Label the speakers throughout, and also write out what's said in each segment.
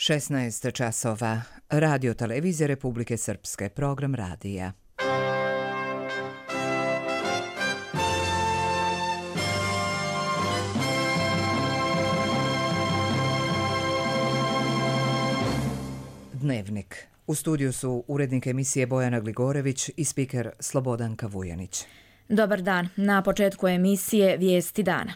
Speaker 1: 16 časova. Radio televizije Republike Srpske. Program radija. Dnevnik. U studiju su urednik emisije Bojana Gligorević i spiker Slobodanka Vujanić.
Speaker 2: Dobar dan. Na početku emisije Vijesti dana.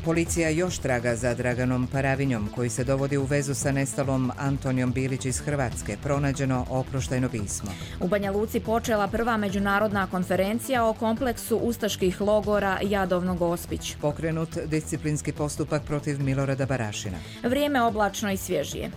Speaker 1: Policija još traga za Draganom Paravinjom, koji se dovodi u vezu sa nestalom Antonijom Bilić iz Hrvatske. Pronađeno oproštajno pismo.
Speaker 2: U Banja Luci počela prva međunarodna konferencija o kompleksu ustaških logora Jadovno-Gospić.
Speaker 1: Pokrenut disciplinski postupak protiv Milorada Barašina.
Speaker 2: Vrijeme oblačno i svježije.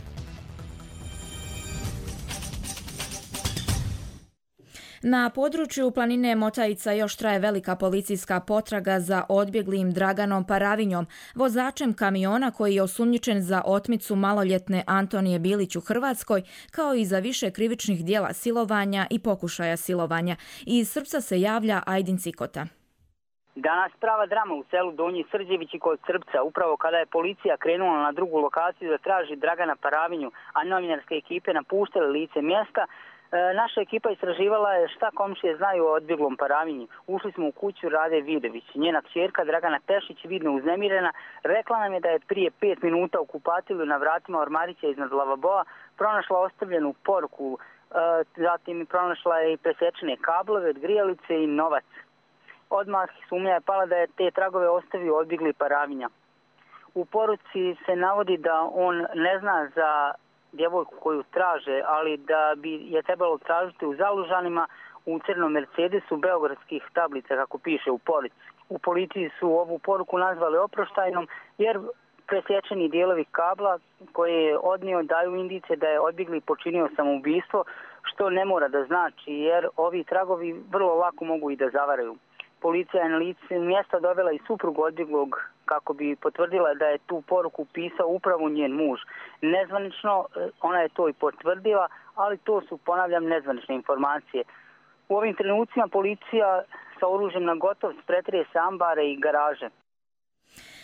Speaker 2: Na području planine Motajica još traje velika policijska potraga za odbjeglim Draganom Paravinjom, vozačem kamiona koji je osumnjičen za otmicu maloljetne Antonije Bilić u Hrvatskoj, kao i za više krivičnih djela silovanja i pokušaja silovanja. Iz Srpca se javlja Ajdin Cikota.
Speaker 3: Danas prava drama u selu Donji Srđevići kod Srpca, upravo kada je policija krenula na drugu lokaciju da traži Dragana Paravinju, a novinarske ekipe napuštale lice mjesta. Naša ekipa istraživala je šta komšije znaju o odbjeglom Paravinju. Ušli smo u kuću Rade Vidović. Njena kćerka Dragana Tešić, vidno uznemirena, rekla nam je da je prije 5 minuta u kupatilu na vratima ormarića iznad lavaboa pronašla ostavljenu poruku. Zatim pronašla je i presečene kablove od grijalice i novac. Odmah sumnja je pala da je te tragove ostavio odbjegli Paravinja. U poruci se navodi da on ne zna za djevojku koju traže, ali da bi je trebalo tražiti u Zalužanima u crnom Mercedesu beogradskih tablica, kako piše u poruci. U policiji su ovu poruku nazvali oproštajnom jer presječeni dijelovi kabla koje je odnio daju indice da je odbjegli počinio samoubistvo, što ne mora da znači jer ovi tragovi vrlo lako mogu i da zavaraju. Policija je na lice mjesta dovela i suprugu odbjeglog kako bi potvrdila da je tu poruku pisao upravo njen muž. Nezvanično ona je to i potvrdila, ali to su, ponavljam, nezvanične informacije. U ovim trenucima policija sa oružjem na gotov pretresa ambare i garaže.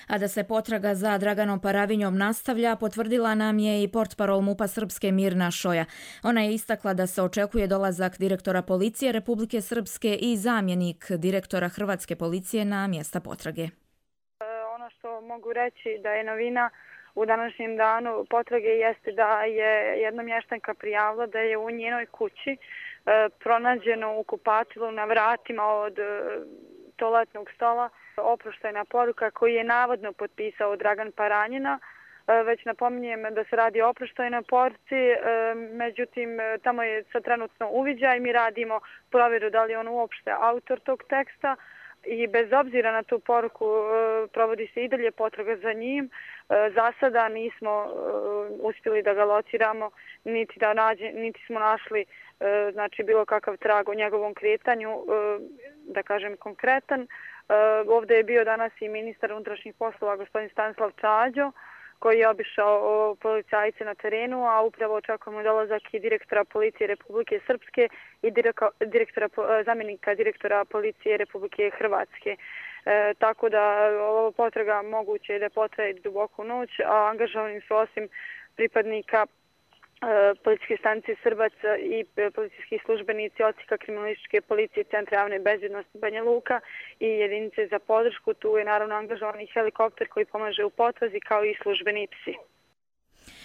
Speaker 2: A da se potraga za Draganom Paravinjom nastavlja, potvrdila nam je i portparol MUP-a Srpske Mirna Šoja. Ona je istakla da se očekuje dolazak direktora policije Republike Srpske i zamjenik direktora Hrvatske policije na mjesta potrage.
Speaker 4: Ono što mogu reći da je novina u današnjem danu potrage jeste da je jedna mještanka prijavila da je u njenoj kući pronađeno u kupatilu na vratima od toaletnog stola oproštajna poruka koju je navodno potpisao Dragan Paranjina. Već napominjem da se radi o oproštajnoj poruci, međutim tamo je sad trenutno uviđaj, mi radimo provjeru da li je on uopšte autor tog teksta i bez obzira na tu poruku provodi se i dalje potraga za njim. Za sada nismo uspjeli da ga lociramo, niti smo našli znači bilo kakav trag o njegovom kretanju, da kažem konkretan. Ovdje je bio danas i ministar unutrašnjih poslova gospodin Stanislav Čađo koji je obišao policajce na terenu, a upravo očekujemo dolazak i direktora policije Republike Srpske i zamjenika direktora policije Republike Hrvatske. Tako da ova potraga moguće je da potraje duboko u noć, a angažovani su osim pripadnika policijske stanice Srbac i policijski službenici odsjeka kriminalističke policije Centra javne bezbjednosti Banja Luka i jedinice za podršku. Tu je naravno angažovan i helikopter koji pomaže u potrazi kao i službeni psi.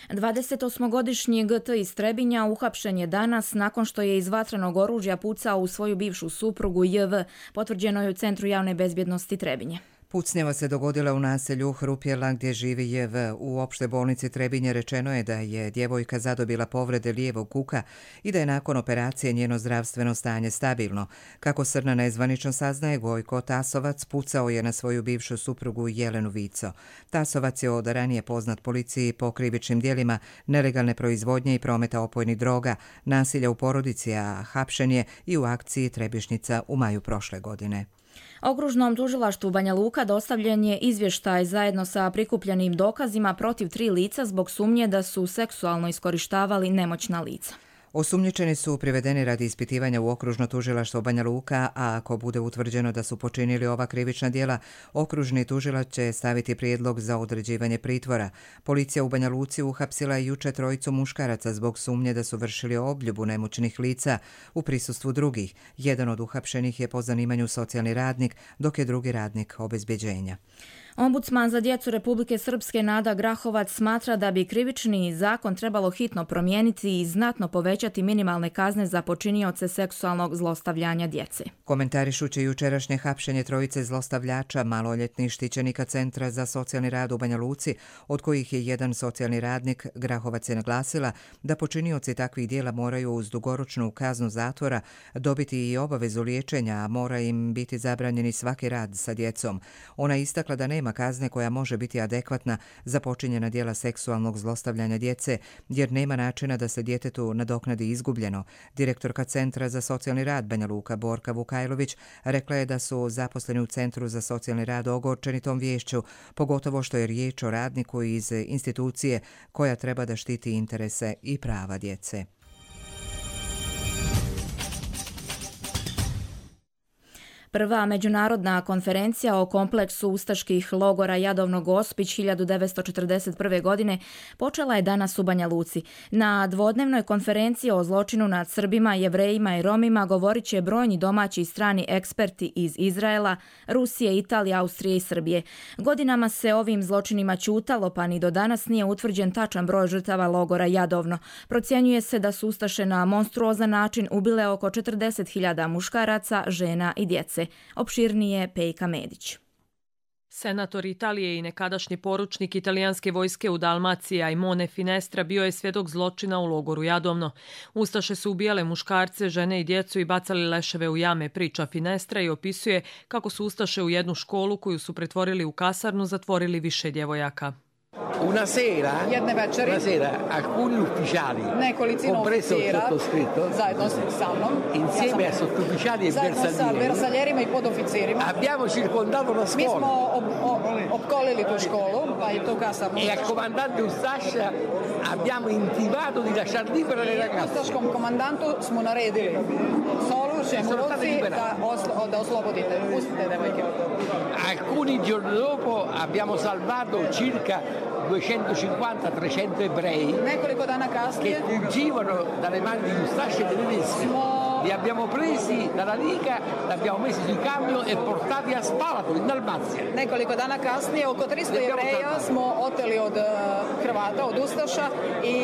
Speaker 2: 28-godišnji GT iz Trebinja uhapšen je danas nakon što je iz vatrenog oružja pucao u svoju bivšu suprugu JV, potvrđeno je u Centru javne bezbjednosti Trebinje.
Speaker 1: Pucnjava se dogodila u naselju Hrupjela gdje živi JV. U opšte bolnici Trebinje rečeno je da je djevojka zadobila povrede lijevog kuka i da je nakon operacije njeno zdravstveno stanje stabilno. Kako Srna nezvanično saznaje, Gojko Tasovac pucao je na svoju bivšu suprugu Jelenu Vico. Tasovac je od ranije poznat policiji po krivičnim djelima nelegalne proizvodnje i prometa opojnih droga, nasilja u porodici, a hapšen je i u akciji Trebišnjica u maju prošle godine.
Speaker 2: Okružnom tužilaštvu Banja Luka dostavljen je izvještaj zajedno sa prikupljenim dokazima protiv 3 lica zbog sumnje da su seksualno iskorištavali nemoćna lica.
Speaker 1: Osumnjičeni su privedeni radi ispitivanja u okružno tužilaštvo Banja Luka, a ako bude utvrđeno da su počinili ova krivična djela, okružni tužilac će staviti prijedlog za određivanje pritvora. Policija u Banja Luci uhapsila je juče 3 muškaraca zbog sumnje da su vršili obljubu nemoćnih lica u prisustvu drugih. Jedan od uhapšenih je po zanimanju socijalni radnik, dok je drugi radnik obezbeđenja.
Speaker 2: Ombudsman za djecu Republike Srpske Nada Grahovac smatra da bi krivični zakon trebalo hitno promijeniti i znatno povećati minimalne kazne za počinioce seksualnog zlostavljanja djece.
Speaker 1: Komentarišući jučerašnje hapšenje 3 zlostavljača maloljetnih štićenika Centra za socijalni rad u Banja Luci, od kojih je jedan socijalni radnik, Grahovac je naglasila da počinioci takvih djela moraju uz dugoročnu kaznu zatvora dobiti i obavezu liječenja, a mora im biti zabranjeni svaki rad sa djecom. Ona je istakla da nema kazne koja može biti adekvatna za počinjena djela seksualnog zlostavljanja djece, jer nema načina da se djetetu nadoknadi izgubljeno. Direktorka Centra za socijalni rad Banja Luka Borka Vukajlović rekla je da su zaposleni u Centru za socijalni rad ogorčeni tom viješću, pogotovo što je riječ o radniku iz institucije koja treba da štiti interese i prava djece.
Speaker 2: Prva međunarodna konferencija o kompleksu ustaških logora Jadovno Gospić 1941. godine počela je danas u Banja Luci. Na dvodnevnoj konferenciji o zločinu nad Srbima, Jevrejima i Romima govorit će brojni domaći i strani eksperti iz Izraela, Rusije, Italije, Austrije i Srbije. Godinama se ovim zločinima ćutalo, pa ni do danas nije utvrđen tačan broj žrtava logora Jadovno. Procjenjuje se da su ustaše na monstruozan način ubile oko 40.000 muškaraca, žena i djece. Opširnije Pejka Medić.
Speaker 5: Senator Italije i nekadašnji poručnik italijanske vojske u Dalmaciji Aimone Finestra bio je svjedok zločina u logoru Jadovno. Ustaše su ubijale muškarce, žene i djecu i bacali leševe u jame, priča Finestra i opisuje kako su ustaše u jednu školu koju su pretvorili u kasarnu zatvorili više djevojaka.
Speaker 6: Jedne večeri
Speaker 7: alcuni ufficiali,
Speaker 6: nekolicino
Speaker 7: compreso il
Speaker 6: oficira,
Speaker 7: sottoscritto,
Speaker 6: zajedno sa mnom,
Speaker 7: insieme a sottufficiali e
Speaker 6: zajedno sa bersaljerima i podoficirima,
Speaker 7: abbiamo circondato la
Speaker 6: mi
Speaker 7: scuola
Speaker 6: smo opkolili tu školu, pa i tu kasarnu.
Speaker 7: e al comandante Ustascia abbiamo intimato di lasciar libere le ragazze.
Speaker 6: Ustaškom komandantu smo naredili Solušem u Ruci da oslobodite, pustite devojke.
Speaker 7: Alcuni giorni dopo abbiamo salvato circa 250-300 ebrei
Speaker 6: Nekoliko dana kasnije
Speaker 7: che fuggivano dalle mani di Ustascia e dei tedeschi. Li abbiamo presi dalla Liga, li abbiamo messi sui camion e portati a Spalato in Dalmazia.
Speaker 6: Nekoliko dana kasnije oko 300 Jevreja smo oteli od Hrvata, od Ustaša i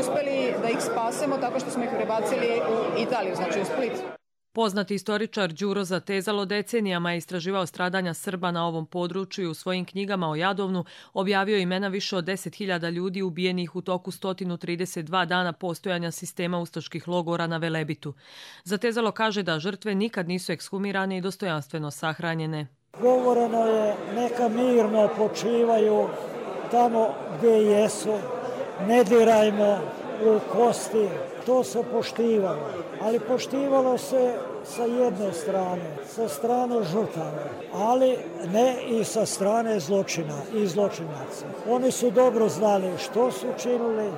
Speaker 6: uspjeli da ih spasemo tako što smo ih prebacili u Italiju, znači u Split.
Speaker 5: Poznati istoričar Đuro Zatezalo decenijama je istraživao stradanja Srba na ovom području i u svojim knjigama o Jadovnu objavio imena više od 10.000 ljudi ubijenih u toku 132 dana postojanja sistema ustaških logora na Velebitu. Zatezalo kaže da žrtve nikad nisu ekshumirane i dostojanstveno sahranjene.
Speaker 8: Govoreno je neka mirno počivaju tamo gdje jesu, ne dirajmo u kosti, to se poštivalo. Ali poštivalo se sa jedne strane, sa strane žrtava, ali ne i sa strane zločina i zločinaca. Oni su dobro znali što su učinili,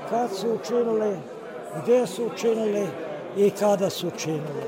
Speaker 8: kad su učinili, gdje su učinili i kada su učinili.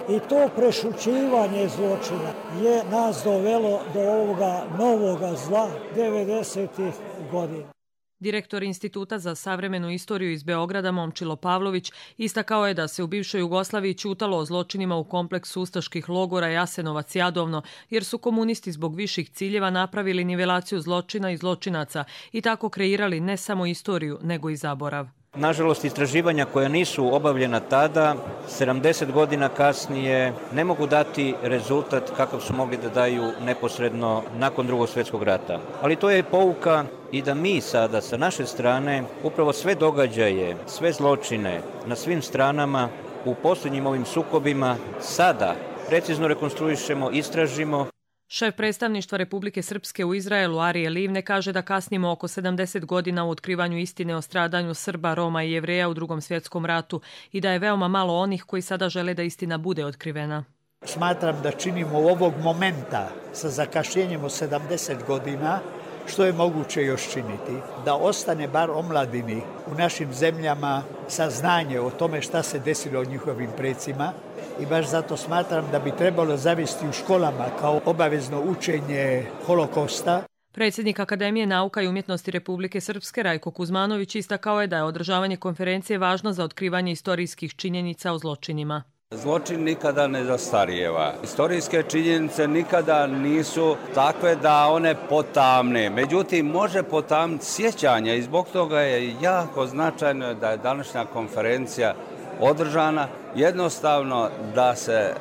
Speaker 8: I to prešućivanje zločina je nas dovelo do ovoga novoga zla 90-ih godina.
Speaker 5: Direktor Instituta za savremenu istoriju iz Beograda Momčilo Pavlović istakao je da se u bivšoj Jugoslaviji ćutalo o zločinima u kompleksu ustaških logora Jasenovac Jadovno, jer su komunisti zbog viših ciljeva napravili nivelaciju zločina i zločinaca i tako kreirali ne samo istoriju, nego i zaborav.
Speaker 9: Nažalost, istraživanja koja nisu obavljena tada, 70 godina kasnije, ne mogu dati rezultat kakav su mogli da daju neposredno nakon Drugog svjetskog rata. Ali to je pouka i da mi sada sa naše strane upravo sve događaje, sve zločine na svim stranama u posljednjim ovim sukobima sada precizno rekonstruišemo, istražimo.
Speaker 5: Šef predstavništva Republike Srpske u Izraelu Arije Livne kaže da kasnimo oko 70 godina u otkrivanju istine o stradanju Srba, Roma i Jevreja u Drugom svjetskom ratu i da je veoma malo onih koji sada žele da istina bude otkrivena.
Speaker 10: Smatram da činimo ovog momenta sa zakašnjenjem od 70 godina što je moguće još činiti, da ostane bar omladini u našim zemljama saznanje o tome šta se desilo od njihovim precima i baš zato smatram da bi trebalo zavesti u školama kao obavezno učenje holokosta.
Speaker 5: Predsjednik Akademije nauka i umjetnosti Republike Srpske Rajko Kuzmanović istakao je da je održavanje konferencije važno za otkrivanje istorijskih činjenica o zločinima.
Speaker 11: Zločin nikada ne zastarijeva. Istorijske činjenice nikada nisu takve da one potamne. Međutim, može potamniti sjećanja i zbog toga je jako značajno da je današnja konferencija održana. Jednostavno da se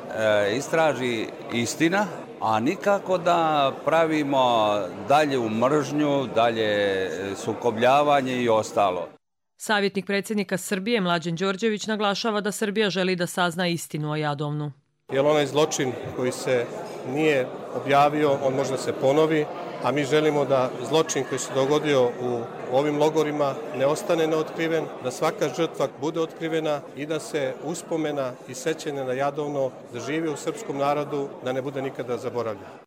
Speaker 11: istraži istina, a nikako da pravimo dalje u mržnju, dalje sukobljavanje i ostalo.
Speaker 5: Savjetnik predsjednika Srbije Mlađan Đorđević naglašava da Srbija želi da sazna istinu o Jadovnu.
Speaker 12: Jer onaj zločin koji se nije objavio, on može da se ponovi, a mi želimo da zločin koji se dogodio u ovim logorima ne ostane neotkriven, da svaka žrtva bude otkrivena i da se uspomena i sećanje na Jadovno da živi u srpskom narodu, da ne bude nikada zaboravljena.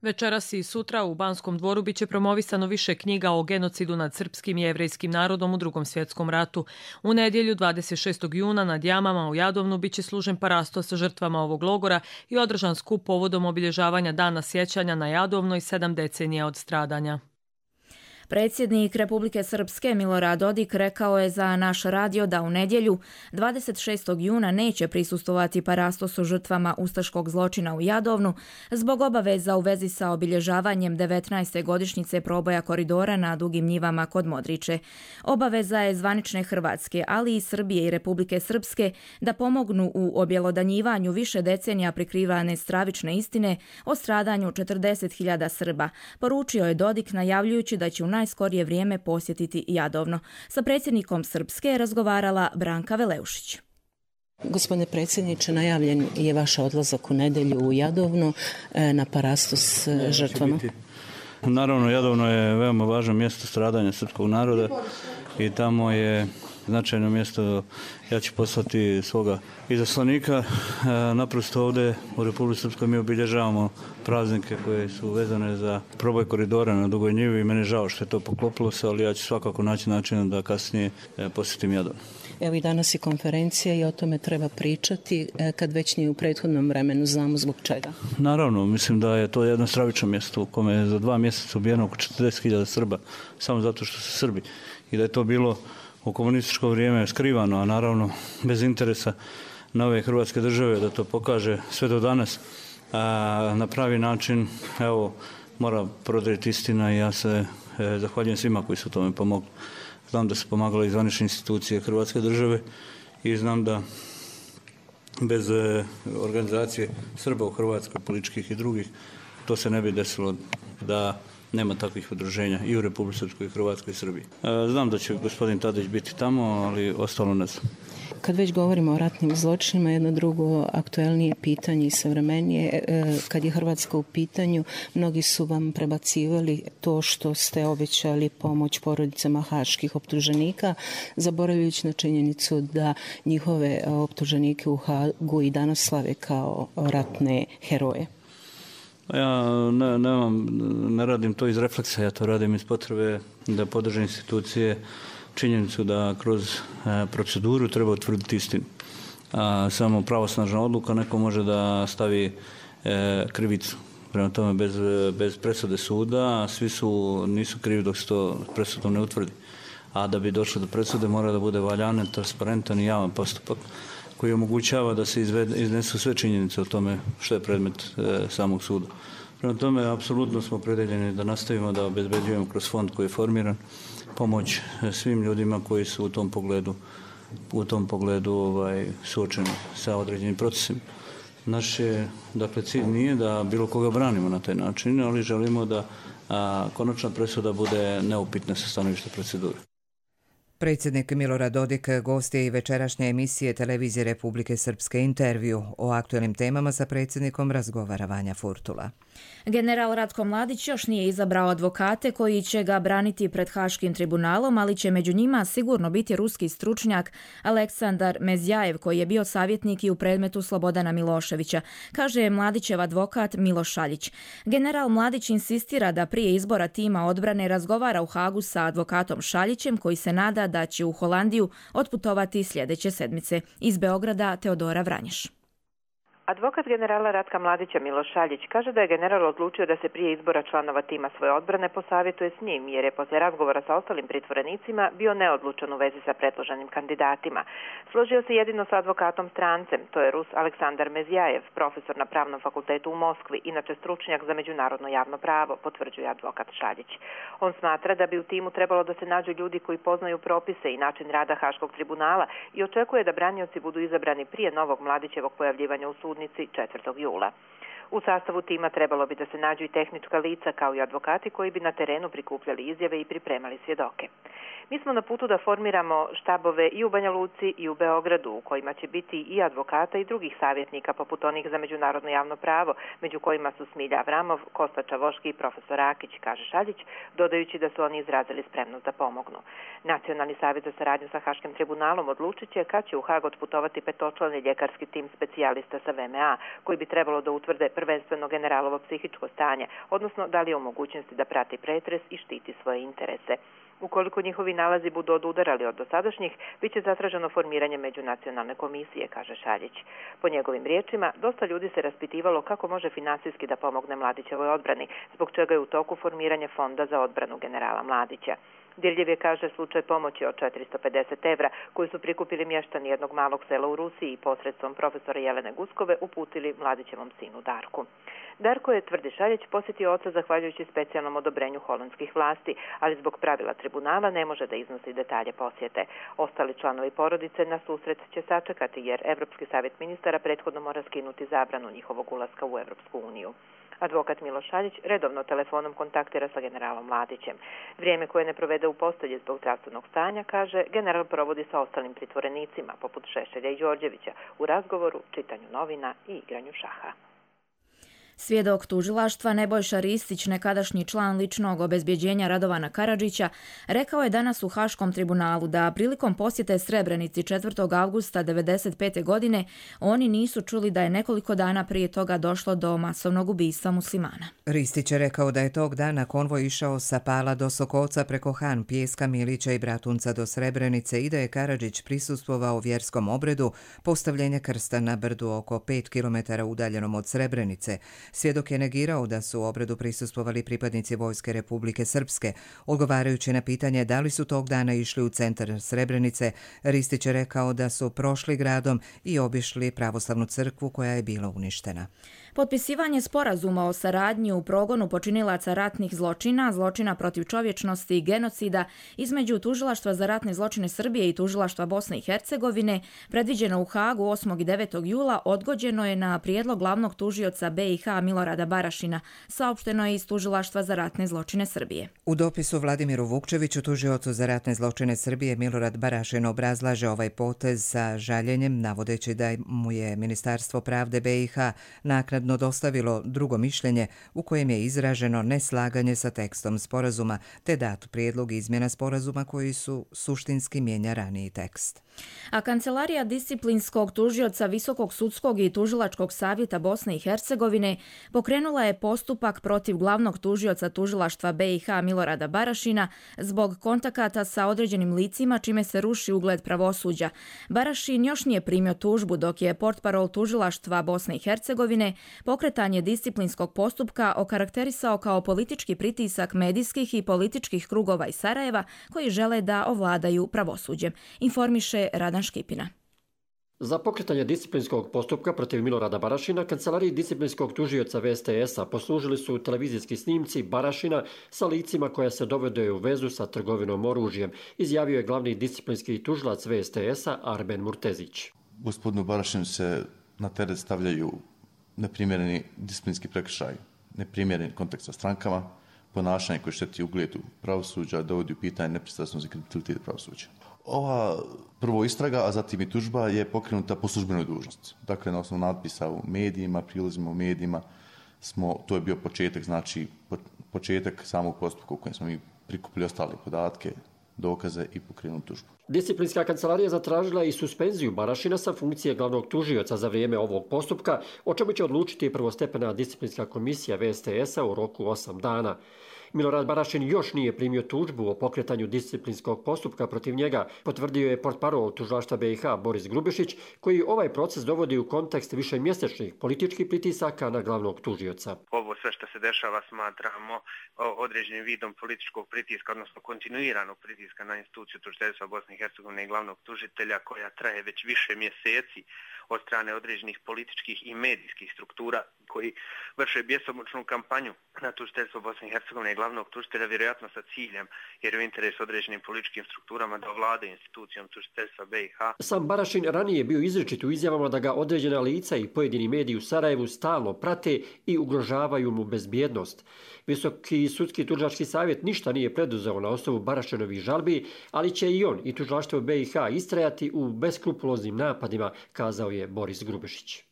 Speaker 5: Večeras i sutra u Banskom dvoru biće promovisano više knjiga o genocidu nad srpskim i jevrejskim narodom u Drugom svjetskom ratu. U nedjelju 26. juna nad jamama u Jadovnu biće služen parastos sa žrtvama ovog logora i održan skup povodom obilježavanja dana sjećanja na Jadovno i 7 decenija od stradanja.
Speaker 2: Predsjednik Republike Srpske Milorad Dodik rekao je za naš radio da u nedjelju 26. juna neće prisustvovati parastosu žrtvama ustaškog zločina u Jadovnu zbog obaveza u vezi sa obilježavanjem 19. godišnjice proboja koridora na Dugim njivama kod Modriče. Obaveza je zvanične Hrvatske, ali i Srbije i Republike Srpske da pomognu u objelodanjivanju više decenija prikrivane stravične istine o stradanju 40.000 Srba, poručio je Dodik najavljujući da će u najskorije vrijeme posjetiti Jadovno. Sa predsjednikom Srpske je razgovarala Branka Veleušić.
Speaker 13: Gospodine predsjedniče, najavljen je vaš odlazak u nedjelju u Jadovno na parastos žrtvama.
Speaker 14: Naravno, Jadovno je veoma važno mjesto stradanja srpskog naroda i tamo je značajno mjesto. Ja ću poslati svoga izaslanika. Naprosto ovdje u Republici Srpskoj mi obilježavamo praznike koje su vezane za proboj koridora na Dugoj njivi i meni je žao što je to poklopilo se, ali ja ću svakako naći način da kasnije posjetim Jadovno.
Speaker 13: Evo i danas je konferencija i o tome treba pričati kad već nije u prethodnom vremenu, znamo zbog čega.
Speaker 14: Naravno, mislim da je to jedno stravično mjesto u kome je za 2 mjeseca ubijeno oko 40.000 Srba, samo zato što su Srbi. I da je to bilo u komunističko vrijeme skrivano, a naravno bez interesa nove Hrvatske države da to pokaže sve do danas. Na pravi način, evo, mora prodrijeti istina i ja se zahvaljujem svima koji su tome pomogli. Znam da su pomagale i zvanične institucije Hrvatske države i znam da bez organizacije Srba u Hrvatskoj, političkih i drugih, to se ne bi desilo da nema takvih udruženja i u Republici Srpskoj, Hrvatskoj i Srbiji. Znam da će gospodin Tadić biti tamo, ali ostalo ne znam.
Speaker 13: Kad već govorimo o ratnim zločinima, jedno drugo aktuelnije pitanje i savremenije, kad je Hrvatska u pitanju, mnogi su vam prebacivali to što ste obećali pomoć porodicama haških optuženika, zaboravljajući na činjenicu da njihove optuženike u Hagu i danas slave kao ratne heroje.
Speaker 14: Ja ne radim to iz refleksa, ja to radim iz potrebe da podržim institucije činjenicu da kroz proceduru treba utvrditi istinu. Samo pravosnažna odluka neko može da stavi krivicu. Prema tome bez presude suda svi nisu krivi dok se to presudom ne utvrdi. A da bi došlo do presude mora da bude valjan, transparentan i javan postupak koji omogućava da se iznesu sve činjenice o tome što je predmet samog suda. Prema tome, apsolutno smo opredeljeni da nastavimo da obezbeđujemo kroz fond koji je formiran pomoć svim ljudima koji su u tom pogledu suočeni sa određenim procesima. Naš cilj nije da bilo koga branimo na taj način, ali želimo da konačna presuda bude neupitna sa stanovišta procedure.
Speaker 1: Predsjednik Milorad Dodik gost je i večerašnje emisije Televizije Republike Srpske Intervju. O aktualnim temama sa predsjednikom razgovara Vanja Furtula.
Speaker 2: General Ratko Mladić još nije izabrao advokate koji će ga braniti pred Haškim tribunalom, ali će među njima sigurno biti ruski stručnjak Aleksandar Mezjajev, koji je bio savjetnik i u predmetu Slobodana Miloševića, kaže Mladićev advokat Miloš Šaljić. General Mladić insistira da prije izbora tima odbrane razgovara u Hagu sa advokatom Šaljićem, koji se nada da će u Holandiju otputovati sljedeće sedmice. Iz Beograda Teodora Vranješ.
Speaker 15: Advokat generala Ratka Mladića Miloš Šaljić kaže da je general odlučio da se prije izbora članova tima svoje odbrane posavjetuje s njim, jer je posle razgovora sa ostalim pritvorenicima bio neodlučan u vezi sa predloženim kandidatima. Složio se jedino sa advokatom strancem, to je Rus Aleksandar Mezjajev, profesor na Pravnom fakultetu u Moskvi, inače stručnjak za međunarodno javno pravo, potvrđuje advokat Šaljić. On smatra da bi u timu trebalo da se nađu ljudi koji poznaju propise i način rada Haškog tribunala i očekuje da branioci budu izabrani prije novog Mladićevog pojavljivanja u sudu 4. jula. U sastavu tima trebalo bi da se nađu i tehnička lica kao i advokati koji bi na terenu prikupljali izjave i pripremali svjedoke. Mi smo na putu da formiramo štabove i u Banja Luci i u Beogradu u kojima će biti i advokata i drugih savjetnika poput onih za međunarodno javno pravo, među kojima su Smilja Avramov, Kosta Čavoški i profesor Rakić, kaže Šaljić, dodajući da su oni izrazili spremnost da pomognu. Nacionalni savjet za saradnju sa Haškim tribunalom odlučit će kad će u Hag otputovati petočlani ljekarski tim specijalista sa VMA, koji bi trebalo da utvrde prvenstveno generalovo psihičko stanje, odnosno da li je u mogućnosti da prati pretres i štiti svoje interese. Ukoliko njihovi nalazi budu odudarali od dosadašnjih, bit će zatraženo formiranje međunacionalne komisije, kaže Šaljić. Po njegovim riječima, dosta ljudi se raspitivalo kako može finansijski da pomogne Mladićevoj odbrani, zbog čega je u toku formiranje fonda za odbranu generala Mladića. Dirljev je, kaže, slučaj pomoći od 450 evra koji su prikupili mještani jednog malog sela u Rusiji posredstvom profesora Jelene Guskove uputili Mladićevom sinu Darku. Darko je, tvrdi Šaljić, posjetio oca zahvaljujući specijalnom odobrenju holandskih vlasti, ali zbog pravila tribunala ne može da iznosi detalje posjete. Ostali članovi porodice na susret će sačekati jer Evropski savjet ministara prethodno mora skinuti zabranu njihovog ulaska u Evropsku uniju. Advokat Miloš Šaljić redovno telefonom kontaktira sa generalom Mladićem. Vrijeme koje ne provede u postelji zbog zdravstvenog stanja, kaže, general provodi sa ostalim pritvorenicima, poput Šešelja i Đorđevića, u razgovoru, čitanju novina i igranju šaha.
Speaker 2: Svjedok tužilaštva Nebojša Ristić, nekadašnji član ličnog obezbjeđenja Radovana Karadžića, rekao je danas u Haškom tribunalu da prilikom posjete Srebrenici 4. avgusta 1995. godine oni nisu čuli da je nekoliko dana prije toga došlo do masovnog ubistva muslimana.
Speaker 1: Ristić je rekao da je tog dana konvoj išao sa Pala do Sokovca preko Han, Pijeska, Milića i Bratunca do Srebrenice i da je Karadžić prisustvovao vjerskom obredu postavljenja krsta na brdu oko 5 km udaljenom od Srebrenice. Svjedok je negirao da su u obredu prisustvovali pripadnici Vojske Republike Srpske. Odgovarajući na pitanje da li su tog dana išli u centar Srebrenice, Ristić je rekao da su prošli gradom i obišli pravoslavnu crkvu koja je bila uništena.
Speaker 2: Potpisivanje sporazuma o saradnji u progonu počinilaca ratnih zločina, zločina protiv čovječnosti i genocida između Tužilaštva za ratne zločine Srbije i Tužilaštva Bosne i Hercegovine, predviđeno u Hagu 8. i 9. jula, odgođeno je na prijedlog glavnog tužioca BiH Milorada Barašina, saopšteno je iz Tužilaštva za ratne zločine Srbije.
Speaker 1: U dopisu Vladimiru Vukčeviću, tužiocu za ratne zločine Srbije, Milorad Barašin obrazlaže ovaj potez sa žaljenjem, navodeći da mu je Ministarstvo pravde BiH naknadno dostavilo drugo mišljenje u kojem je izraženo neslaganje sa tekstom sporazuma, te dat prijedlog izmjena sporazuma koji su suštinski mijenja raniji tekst.
Speaker 2: A Kancelarija disciplinskog tužioca Visokog sudskog i tužilačkog savjeta Bosne i Hercegovine pokrenula je postupak protiv glavnog tužioca tužilaštva BiH Milorada Barašina zbog kontakata sa određenim licima, čime se ruši ugled pravosuđa. Barašin još nije primio tužbu, dok je portparol tužilaštva Bosne i Hercegovine pokretanje disciplinskog postupka okarakterisao kao politički pritisak medijskih i političkih krugova iz Sarajeva koji žele da ovladaju pravosuđem, informiše Radan Škipina.
Speaker 16: Za pokretanje disciplinskog postupka protiv Milorada Barašina Kancelariji disciplinskog tužioca VSTS-a poslužili su televizijski snimci Barašina sa licima koja se dovode u vezu sa trgovinom oružjem, izjavio je glavni disciplinski tužilac VSTS-a Arben Murtezić.
Speaker 17: Gospodinu Barašinu se na teret stavljaju neprimjereni disciplinski prekršaj, neprimjeren kontakt sa strankama, ponašanje koje šteti ugledu pravosuđa, dovodi u pitanje nepristrasnost i kredibilitet pravosuđa. Ova prvo istraga, a zatim i tužba je pokrenuta po službenoj dužnosti. Dakle, na osnovu natpisa u medijima, prilozima u medijima, to je bio početak, znači početak samog postupka u kojem smo mi prikupili ostale podatke, dokaze i pokrenuli tužbu.
Speaker 16: Disciplinska kancelarija zatražila i suspenziju Barašina sa funkcije glavnog tužioca za vrijeme ovog postupka, o čemu će odlučiti prvostepena disciplinska komisija VSTS-a u roku 8 dana. Milorad Barašin još nije primio tužbu o pokretanju disciplinskog postupka protiv njega, potvrdio je portparol tužilaštva BiH Boris Grubišić, koji ovaj proces dovodi u kontekst višemjesečnih političkih pritisaka na glavnog tužioca.
Speaker 18: Ovo sve što se dešava smatramo određenim vidom političkog pritiska, odnosno kontinuiranog pritiska na instituciju tužiteljstva Bosne i Hercegovine i glavnog tužitelja, koja traje već više mjeseci od strane određenih političkih i medijskih struktura koji vrše bjesomučnu kampanju na tužiteljstvo Bosne i Hercegovine i glavnog tužitelja, vjerojatno sa ciljem, jer je u interesu određenim političkim strukturama da ovlade institucijom tužiteljstva BiH.
Speaker 16: Sam Barašin ranije bio izričit u izjavama da ga određena lica i pojedini mediji u Sarajevu stalno prate i ugrožavaju mu bezbjednost. Visoki sudski tužilački savjet ništa nije preduzeo na osnovu Barašinovih žalbi, ali će i on i tužilaštvo BiH istrajati u beskrupuloznim napadima, kazao je Boris Grubišić.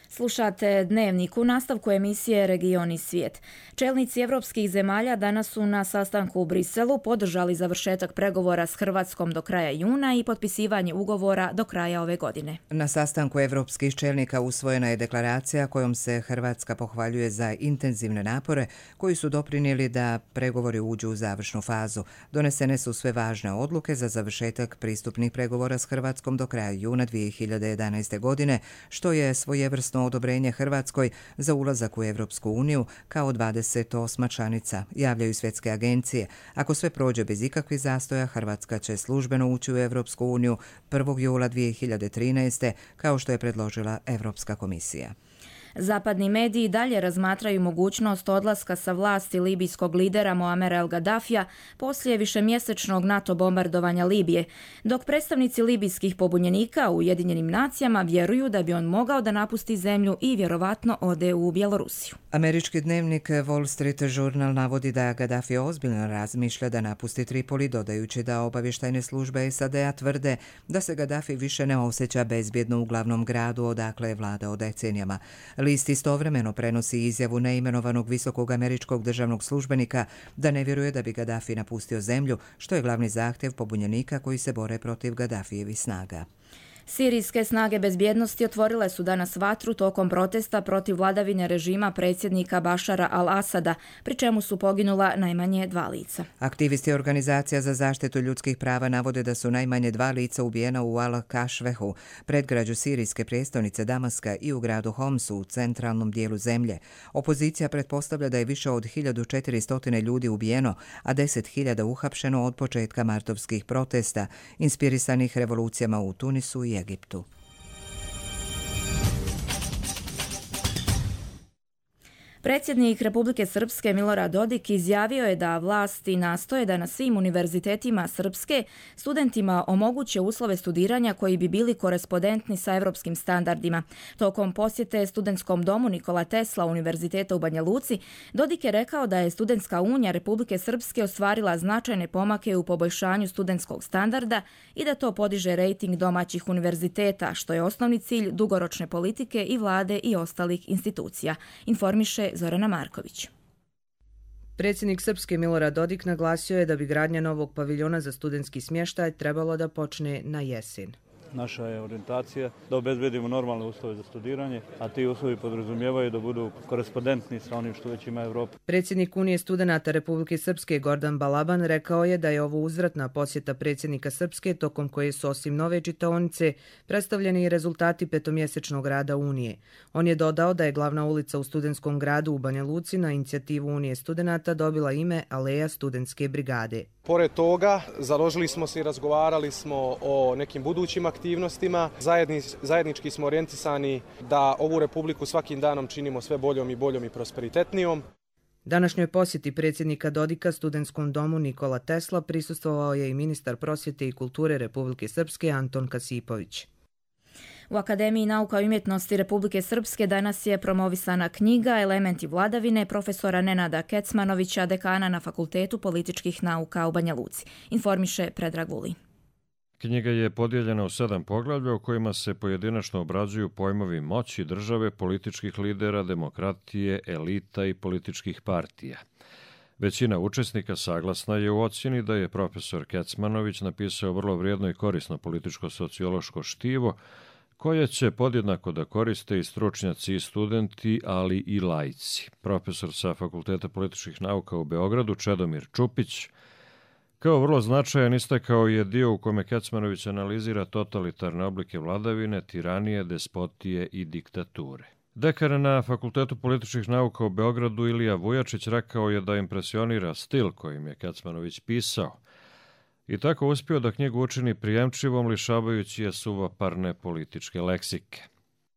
Speaker 2: Slušate Dnevnik u nastavku emisije Region i svijet. Čelnici evropskih zemalja danas su na sastanku u Briselu podržali završetak pregovora s Hrvatskom do kraja juna i potpisivanje ugovora do kraja ove godine.
Speaker 1: Na sastanku evropskih čelnika usvojena je deklaracija kojom se Hrvatska pohvaljuje za intenzivne napore koji su doprinijeli da pregovori uđu u završnu fazu. Donesene su sve važne odluke za završetak pristupnih pregovora s Hrvatskom do kraja juna 2011. godine, što je svojevrsno odobrenje Hrvatskoj za ulazak u Evropsku uniju kao 28. članica, javljaju svjetske agencije. Ako sve prođe bez ikakvih zastoja, Hrvatska će službeno ući u Evropsku uniju 1. jula 2013. kao što je predložila Evropska komisija.
Speaker 2: Zapadni mediji dalje razmatraju mogućnost odlaska sa vlasti libijskog lidera Muamera el Gaddafija poslije višemjesečnog NATO bombardovanja Libije, dok predstavnici libijskih pobunjenika u Ujedinjenim nacijama vjeruju da bi on mogao da napusti zemlju i vjerovatno ode u Bjelorusiju.
Speaker 1: Američki dnevnik Wall Street Journal navodi da Gaddafi ozbiljno razmišlja da napusti Tripoli, dodajući da obavještajne službe SAD-a tvrde da se Gaddafi više ne osjeća bezbjedno u glavnom gradu odakle je vladao decenijama. List istovremeno prenosi izjavu neimenovanog visokog američkog državnog službenika da ne vjeruje da bi Gaddafi napustio zemlju, što je glavni zahtjev pobunjenika koji se bore protiv Gaddafijevih snaga.
Speaker 2: Sirijske snage bezbjednosti otvorile su danas vatru tokom protesta protiv vladavine režima predsjednika Bašara al-Asada, pri čemu su poginula najmanje 2 lica.
Speaker 1: Aktivisti organizacija za zaštitu ljudskih prava navode da su najmanje 2 lica ubijena u Al-Kašvehu, predgrađu sirijske prijestolnice Damaska, i u gradu Homsu u centralnom dijelu zemlje. Opozicija pretpostavlja da je više od 1400 ljudi ubijeno, a 10.000 uhapšeno od početka martovskih protesta, inspirisanih revolucijama u Tunisu i Egiptu.
Speaker 2: Predsjednik Republike Srpske Milorad Dodik izjavio je da vlasti nastoje da na svim univerzitetima Srpske studentima omoguće uslove studiranja koji bi bili korespondentni sa evropskim standardima. Tokom posjete studentskom domu Nikola Tesla Univerziteta u Banja Luci, Dodik je rekao da je Studentska unija Republike Srpske ostvarila značajne pomake u poboljšanju studentskog standarda i da to podiže rejting domaćih univerziteta, što je osnovni cilj dugoročne politike i vlade i ostalih institucija, informiše Zorana Marković.
Speaker 19: Predsjednik Srpske Milorad Dodik naglasio je da bi gradnja novog paviljona za studentski smještaj trebalo da počne na jesen.
Speaker 14: Naša je orijentacija da obezbedimo normalne uslove za studiranje, a ti uslovi podrazumijevaju da budu korespondentni sa onim što već ima Evropa.
Speaker 19: Predsjednik Unije studenata Republike Srpske Gordan Balaban rekao je da je ovo uzvratna posjeta predsjednika Srpske tokom koje su osim nove čitaonice predstavljeni i rezultati petomjesečnog rada Unije. On je dodao da je glavna ulica u studentskom gradu u Banja Luci na inicijativu Unije studenata dobila ime Aleja studentske brigade.
Speaker 20: Pored toga, založili smo se i razgovarali smo o nekim budućim aktivnostima. Zajednički smo orijentisani da ovu republiku svakim danom činimo sve boljom i prosperitetnijom.
Speaker 19: Današnjoj posjeti predsjednika Dodika studentskom domu Nikola Tesla prisustvovao je i ministar prosvjete i kulture Republike Srpske Anton Kasipović.
Speaker 2: U Akademiji nauka i umjetnosti Republike Srpske danas je promovisana knjiga Elementi vladavine profesora Nenada Kecmanovića, dekana na Fakultetu političkih nauka u Banja Luci, informiše Predrag Vulin.
Speaker 21: Knjiga je podijeljena u 7 poglavlja u kojima se pojedinačno obrađuju pojmovi moći države, političkih lidera, demokratije, elita i političkih partija. Većina učesnika saglasna je u ocjeni da je profesor Kecmanović napisao vrlo vrijedno i korisno političko-sociološko štivo, koje će podjednako da koriste i stručnjaci i studenti, ali i laici. Profesor sa Fakulteta političkih nauka u Beogradu, Čedomir Čupić, kao vrlo značajan istakao je dio u kome Kecmanović analizira totalitarne oblike vladavine, tiranije, despotije i diktature. Dekan na Fakultetu političkih nauka u Beogradu Ilija Vujačić rekao je da impresionira stil kojim je Kecmanović pisao i tako uspio da knjigu učini prijemčivom, lišavajući je suvoparne političke leksike.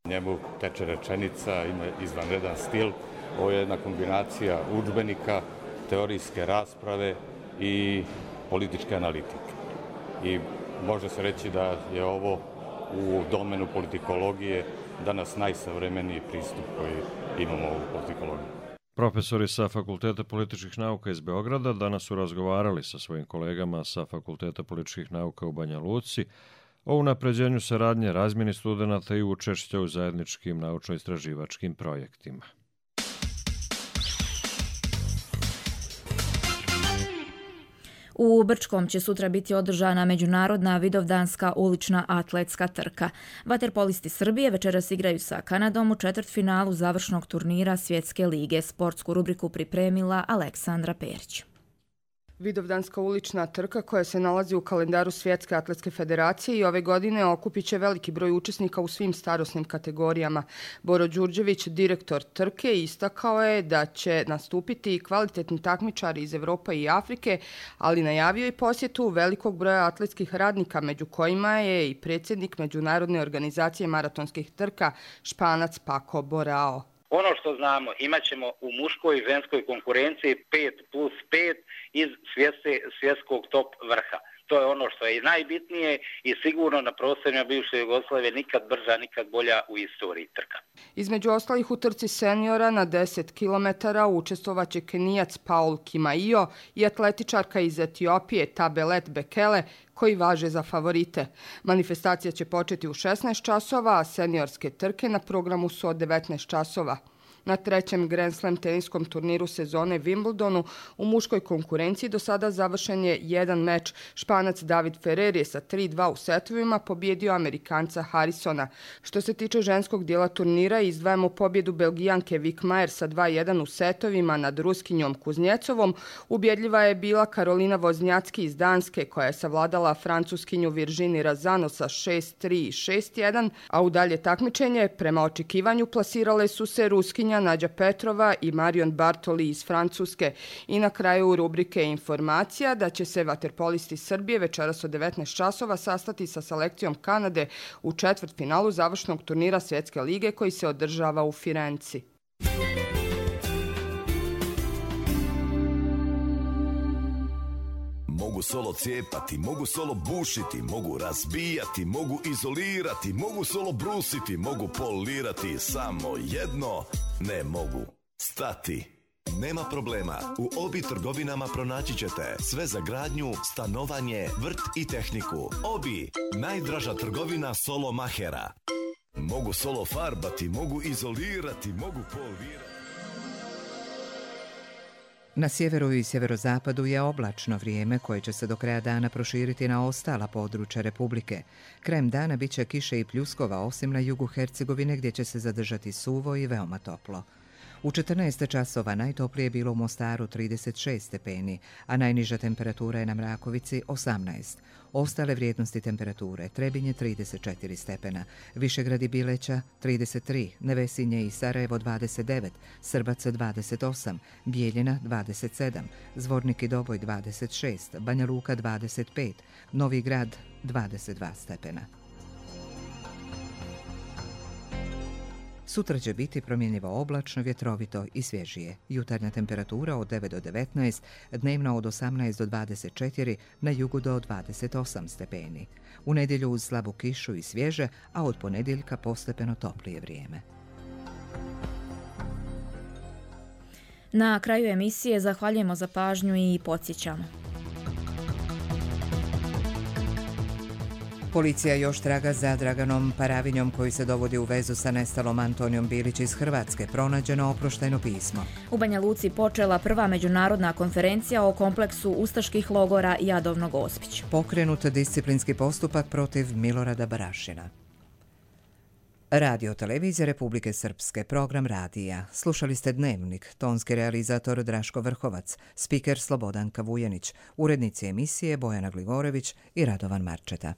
Speaker 22: Njemu teče rečenica, ima izvanredan stil. Ovo je jedna kombinacija udžbenika, teorijske rasprave i političke analitike. I može se reći da je ovo u domenu politikologije danas najsavremeniji pristup koji imamo u politikologiji.
Speaker 21: Profesori sa Fakulteta političkih nauka iz Beograda danas su razgovarali sa svojim kolegama sa Fakulteta političkih nauka u Banja Luci o unapređenju saradnje, razmjeni studenata i učešća u zajedničkim naučno-istraživačkim projektima.
Speaker 2: U Brčkom će sutra biti održana međunarodna vidovdanska ulična atletska trka. Vaterpolisti Srbije večeras igraju sa Kanadom u četvrtfinalu završnog turnira Svjetske lige. Sportsku rubriku pripremila Aleksandra Perić.
Speaker 23: Vidovdanska ulična trka koja se nalazi u kalendaru Svjetske atletske federacije i ove godine okupit će veliki broj učesnika u svim starosnim kategorijama. Boro Đurđević, direktor trke, istakao je da će nastupiti i kvalitetni takmičari iz Evrope i Afrike, ali najavio i posjetu velikog broja atletskih radnika, među kojima je i predsjednik Međunarodne organizacije maratonskih trka Španac Pako Borao.
Speaker 24: Ono što znamo, imat ćemo u muškoj i ženskoj konkurenciji 5+5 iz svjetskog top vrha. To je ono što je i najbitnije i sigurno na prostorima bivše Jugoslavije nikad brža, nikad bolja u istoriji trka.
Speaker 23: Između ostalih u trci seniora na 10 km učestvovaće Kenijac Paul Kimaio i atletičarka iz Etiopije Tabelet Bekele, koji važe za favorite. Manifestacija će početi u 16 časova, a seniorske trke na programu su od 19 časova. Na trećem Grand Slam teniskom turniru sezone Wimbledonu u muškoj konkurenciji do sada završen je jedan meč. Španac David Ferrer je sa 3-2 u setovima pobjedio Amerikanca Harrisona. Što se tiče ženskog dijela turnira, izdvajamo pobjedu Belgijanke Vik Majer sa 2-1 u setovima nad Ruskinjom Kuznjecovom. Ubjedljiva je bila Karolina Voznjacki iz Danske, koja je savladala Francuskinju Virginie Razano sa 6-3 i 6-1, a u dalje takmičenje prema očekivanju plasirale su se Ruskinja Nađa Petrova i Marion Bartoli iz Francuske. I na kraju rubrike informacija da će se vaterpolisti Srbije večeras od 19 časova sastati sa selekcijom Kanade u četvrtfinalu završnog turnira Svjetske lige koji se održava u Firenci.
Speaker 25: Mogu solo cijepati, mogu solo bušiti, mogu razbijati, mogu izolirati, mogu solo brusiti, mogu polirati, samo jedno ne mogu stati. Nema problema, u Obi trgovinama pronaći ćete sve za gradnju, stanovanje, vrt i tehniku. Obi, najdraža trgovina solo mahera. Mogu solo farbati, mogu izolirati, mogu polirati.
Speaker 1: Na sjeveru i sjeverozapadu je oblačno vrijeme koje će se do kraja dana proširiti na ostala područja Republike. Krajem dana bit će kiše i pljuskova, osim na jugu Hercegovine gdje će se zadržati suvo i veoma toplo. U 14 časova najtoplije je bilo u Mostaru 36 stepeni, a najniža temperatura je na Mrakovici 18. Ostale vrijednosti temperature: Trebinje 34 stepena, Višegrad i Bileća 33, Nevesinje i Sarajevo 29, Srbac 28, Bijeljina 27, Zvornik i Doboj 26, Banja Luka 25, Novi Grad 22 stepena. Sutra će biti promjenjivo oblačno, vjetrovito i svježije. Jutarnja temperatura od 9 do 19, dnevna od 18 do 24, na jugu do 28 stepeni. U nedjelju uz slabu kišu i svježe, a od ponedjeljka postepeno toplije vrijeme.
Speaker 2: Na kraju emisije zahvaljujemo za pažnju i podsjećamo.
Speaker 1: Policija još traga za Draganom Paravinjom koji se dovodi u vezu sa nestalom Antonijom Bilić iz Hrvatske. Pronađeno oproštajno pismo.
Speaker 2: U Banja Luci počela prva međunarodna konferencija o kompleksu ustaških logora Jadovno-Gospić.
Speaker 1: Pokrenut disciplinski postupak protiv Milorada Barašina. Radio televizija Republike Srpske, program radija. Slušali ste Dnevnik, tonski realizator Draško Vrhovac, spiker Slobodanka Vujenić, urednici emisije Bojana Gligorević i Radovan Marčeta.